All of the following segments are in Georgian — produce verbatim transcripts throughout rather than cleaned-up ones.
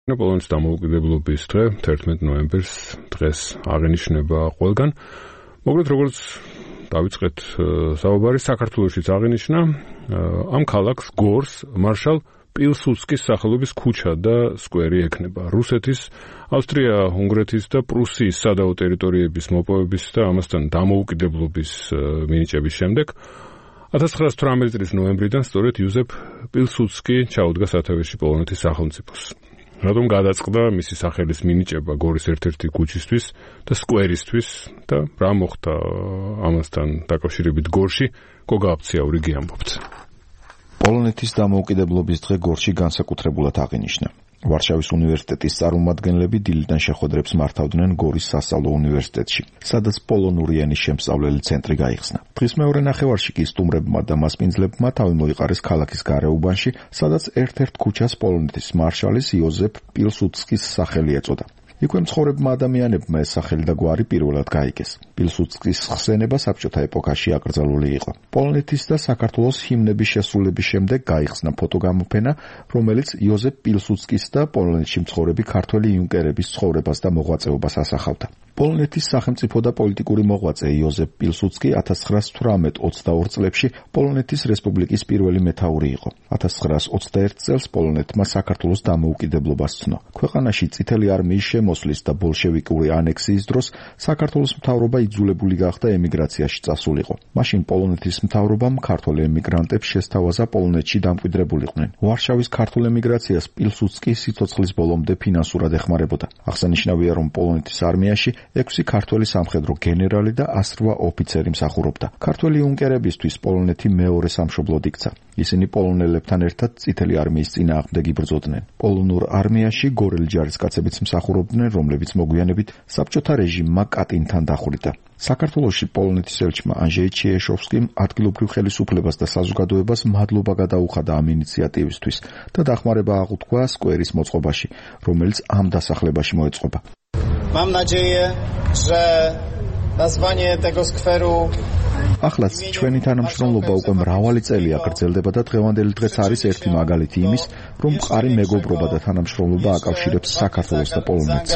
პოლონეთის დამოუკიდებლობის დღე თერთმეტ ნოემბერს დღეს აღინიშნება ყველგან. მოკლედ როგორც დავიწყეთ საუბარი, საქართველოშიც აღინიშნა ამ ქალაქს გორს მარშალ პილსუდსკის სახელობის ქუჩა და სკვერი ექნება. რუსეთის, ავსტრია-უნგრეთის და პრუსიის სადავო ტერიტორიების მოპოვების და ამასთან დამოუკიდებლობის მინიჭების შემდეგ ათას ცხრაასი თვრამეტი წლის ნოემბრიდან სწორედ იოზეფ პილსუდსკი ჩაუდგა სათავეში პოლონეთის სახელმწიფოს. რადგან გადაწყდა მისი სახელის მინიჭება გორის ერთ-ერთი ქუჩისთვის და სკვერისთვის და რა მოხდა ამასთან დაკავშირებით გორში, გოგა აფციაური გიამბობთ. პოლონეთის დამოუკიდებლობის დღე გორში განსაკუთრებულად აღინიშნა. ვარშავის უნივერსიტეტის წარმომადგენლები დილიდან შეხვედრებს მართავდნენ გორის სასწავლო უნივერსიტეტში, სადაც პოლონური ენის შემსწავლელი ცენტრი გაიხსნა. დღის მეორე ნახევარში კი სტუმრებმა და მასპინძლებმა თავი მოიყარეს ქალაქის გარეუბანში, სადაც ერთ-ერთ ქუჩას პოლონეთის მარშალის იოზეფ პილსუდსკის სახელი ეწოდა. იქვე მცხოვრებმა ადამიანებმა ეს სახელი და გვარი პირველად გაიგეს. პილსუდსკის ხსენება საბჭოთა ეპოქაში აკრძალული იყო. პოლონეთის და საქართველოს ჰიმნების შესრულების შემდეგ გაიხსნა ფოტოგამოფენა, რომელიც იოზეფ პილსუდსკის და პოლონეთში მცხოვრები ქართველი იუნკერების ცხოვრებას და მოღვაწეობას ასახავდა. პოლონეთის სახელმწიფო და პოლიტიკური მოღვაწე იოზეფ პილსუდსკი ათას ცხრაასი თვრამეტ ოცდაორ წლებში პოლონეთის რესპუბლიკის პირველი მეთაური იყო. ათას ცხრაასი ოცდაერთ წელს პოლონეთმა საქართველოს დამოუკიდებლობა სცნო. ქვეყანაში წითელი არმიის მოსლის და ბოლშევიკური ანექსიის დროს საქართველოს მთავრობა იძულებული გახდა ემიგრაციაში წასულიყო. მაშინ პოლონეთის მთავრობამ ქართველ ემიგრანტებს შესთავაზა პოლონეთში დამკვიდრებულიყვნენ. ვარშავის ქართულ ემიგრაციას პილსუდსკი სიცოცხლის ბოლომდე ფინანსურად ეხმარებოდა. აღსანიშნავია, რომ პოლონეთის არმიაში ექვსი ქართველი სამხედრო გენერალი და ასი რვა ოფიცერი მსახურობდა. ქართველი იუნკერებისთვის პოლონეთი მეორე სამშობლოდ იქცა. ისინი პოლონელებთან ერთად წითელი არმიის წინააღმდეგ იბრძოდნენ. პოლონურ არმიაში გორელი ჯარისკაცებიც მსახურობდნენ, რომლებიც მოგვიანებით საბჭოთა რეჟიმმა კატინთან დახვრიტა. საქართველოში პოლონეთის ელჩმა ანჟეი ჩიეშოვსკიმ ადგილობრივ ხელისუფლებას და საზოგადოებას მადლობა გადაუხადა ამ ინიციატივისთვის და დახმარება აღუთქვა სკვერის მოწყობაში, რომელიც ამ დასახლებაში მოეწყობა. Mam nadzieję, że nazwanie tego skweru Ახლაც ჩვენი თანამშრომლობა უკვე მრავალი წელია გრძელდება და დღევანდელი დღეც არის ერთი მაგალითი იმის, რომ მყარი მეგობრობა და თანამშრომლობა აკავშირებს საქართველოს და პოლონეთს.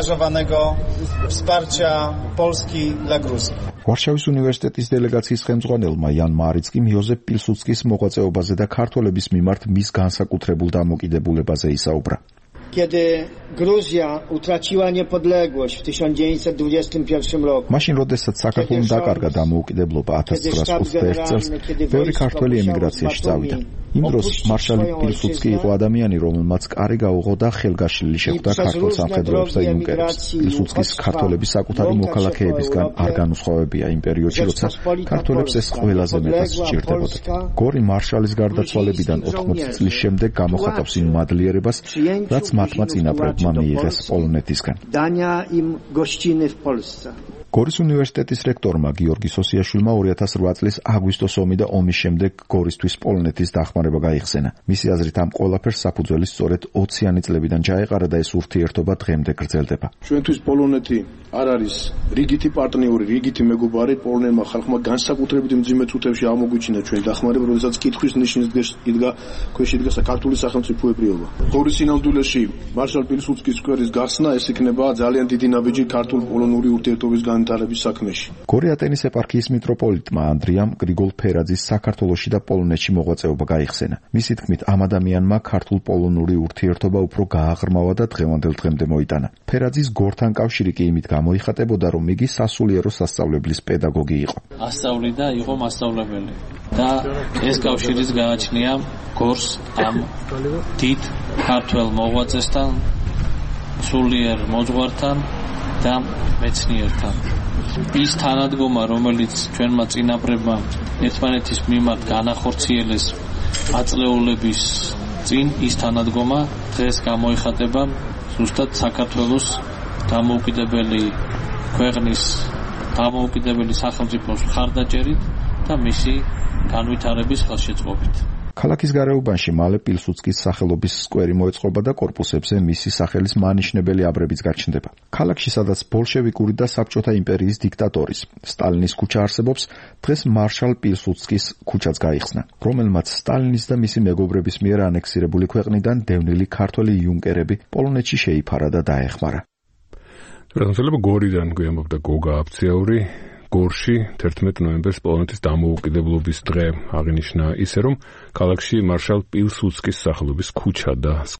ვარშავის უნივერსიტეტის დელეგაციის ხელმძღვანელმა იან მარიცკიმ იოზეფ პილსუდსკის მოღვაწეობაზე და ქართველების მიმართ მის განსაკუთრებულ დამოკიდებულებაზე ისაუბრა. Kiedy Gruzja utraciła niepodległość w tysiąc dziewięćset dwudziestym pierwszym roku. Maszyn როდესაც საქართველოს დაკარგა დამოუკიდებლობა ათას ცხრაასი ოცდაერთ წელს, ბევრი ქართველი ემიგრაციაში წავიდა. იმ დროს მარშალი პილსუდსკი იყო ადამიანი, რომელმაც კარი გაუღო და ხელგაშლილი შეხვდა ქართულ სამხედროებს და იუნკერებს. პილსუდსკის ქართველების საკუთარი მოქალაქეებისგან არ განუსხვავებია იმ პერიოდში, როცა ქართველებს ეს ყველაზე მეტად სჭირდებოდა. გორი მარშალის გარდაცვალებიდან ოთხმოცი წლის შემდეგ გამოხატავს იმ მადლიერებას, რაც მათმა წინაპრებმა მიიღეს პოლონეთისგან. გორის უნივერსიტეტის რექტორმა გიორგი სოსიაშვილმა ორი ათას რვა წლის აგვისტოს ომი და ომის შემდეგ გორისთვის პოლონეთის დახმარება გაიხსენა. მისი აზრით ამ ყველაფერს საფუძველი სწორედ ოციანი წლებიდან ჩაეყარა და ეს ურთიერთობა დღემდე გრძელდება. ჩვენთვის პოლონეთი არ არის რიგითი პარტნიორი, რიგითი მეგობარი, პოლონელმა ხალხმა განსაკუთრებით მძიმე წუთებში აღმოგვიჩინა ჩვენი დახმარება, როდესაც კითხვის ნიშნის იდგა ქვეშ იდგა საქართველოს სახელმწიფოებრიობა. გორის სინამდვილეში მარშალ პილსუდსკის სკვერის გახსნა ეს იქნება ძალიან დიდი ნაბიჯი ქართულ-პოლონური ურთიერთობის განვითარების საქმეში. გორი ატენის ეპარქიის მიტროპოლიტმა ანდრიამ გრიგოლ-ფერაძის საქართველოში და პოლონეთში მოღვაწეობა გაიხსენა. მისი თქმით, ამ ადამიანმა ქართულ-პოლონური ურთიერთობა უფრო გააღრმავა და დღევანდელ დღემდე მოიტანა. ფერაძის გორთან კავშირი კი იმით გამოიხატებოდა, რომ იგი სასულიერო სასწავლებლის პედაგოგი იყო. ასწავლიდა, იყო მასწავლებელი და ეს კავშირიც გააჩნია გორს ამ დიდ ქართველ მოღვაწესთან, სულიერ მოძღვართან და მეცნიერთან. ის თანადგომა, რომელიც ჩვენმა წინაპრებმა ერთმანეთის მიმართ განახორციელეს აწლეულების წინ, ის თანადგომა დღეს გამოიხატება ზუსტად საქართველოს დამოუკიდებელი ქვეყნის დამოუკიდებელი სახელმწიფოს მხარდაჭერით და მისი განვითარების ხელშეწყობით. ქალაქის გარეუბანში მალე პილსუდსკის სახელობის სკვერი მოეწყობა და კორპუსებზე მისი სახელის მანიშნებელი აბრებიც გაჩნდება. ქალაქში, სადაც ბოლშევიკური და საბჭოთა იმპერიის დიქტატორის სტალინის ქუჩა არსებობს, დღეს მარშალ პილსუდსკის ქუჩაც გაიხსნა, რომელმაც სტალინის და მისი მეგობრების მიერ ანექსირებული ქვეყნიდან დევნილი ქართველი იუნკერები პოლონეთში შეიფარა და დაეხმარა. რადგან გორიდან გვიამბობდა გოგა აფციაური, გორში თერთმეტ ნოემბერს პოლონეთის დამოუკიდებლობის დღე აღინიშნა ისე, რომ ქალაქში მარშალ პილსუდსკის სახელობის ქუჩა და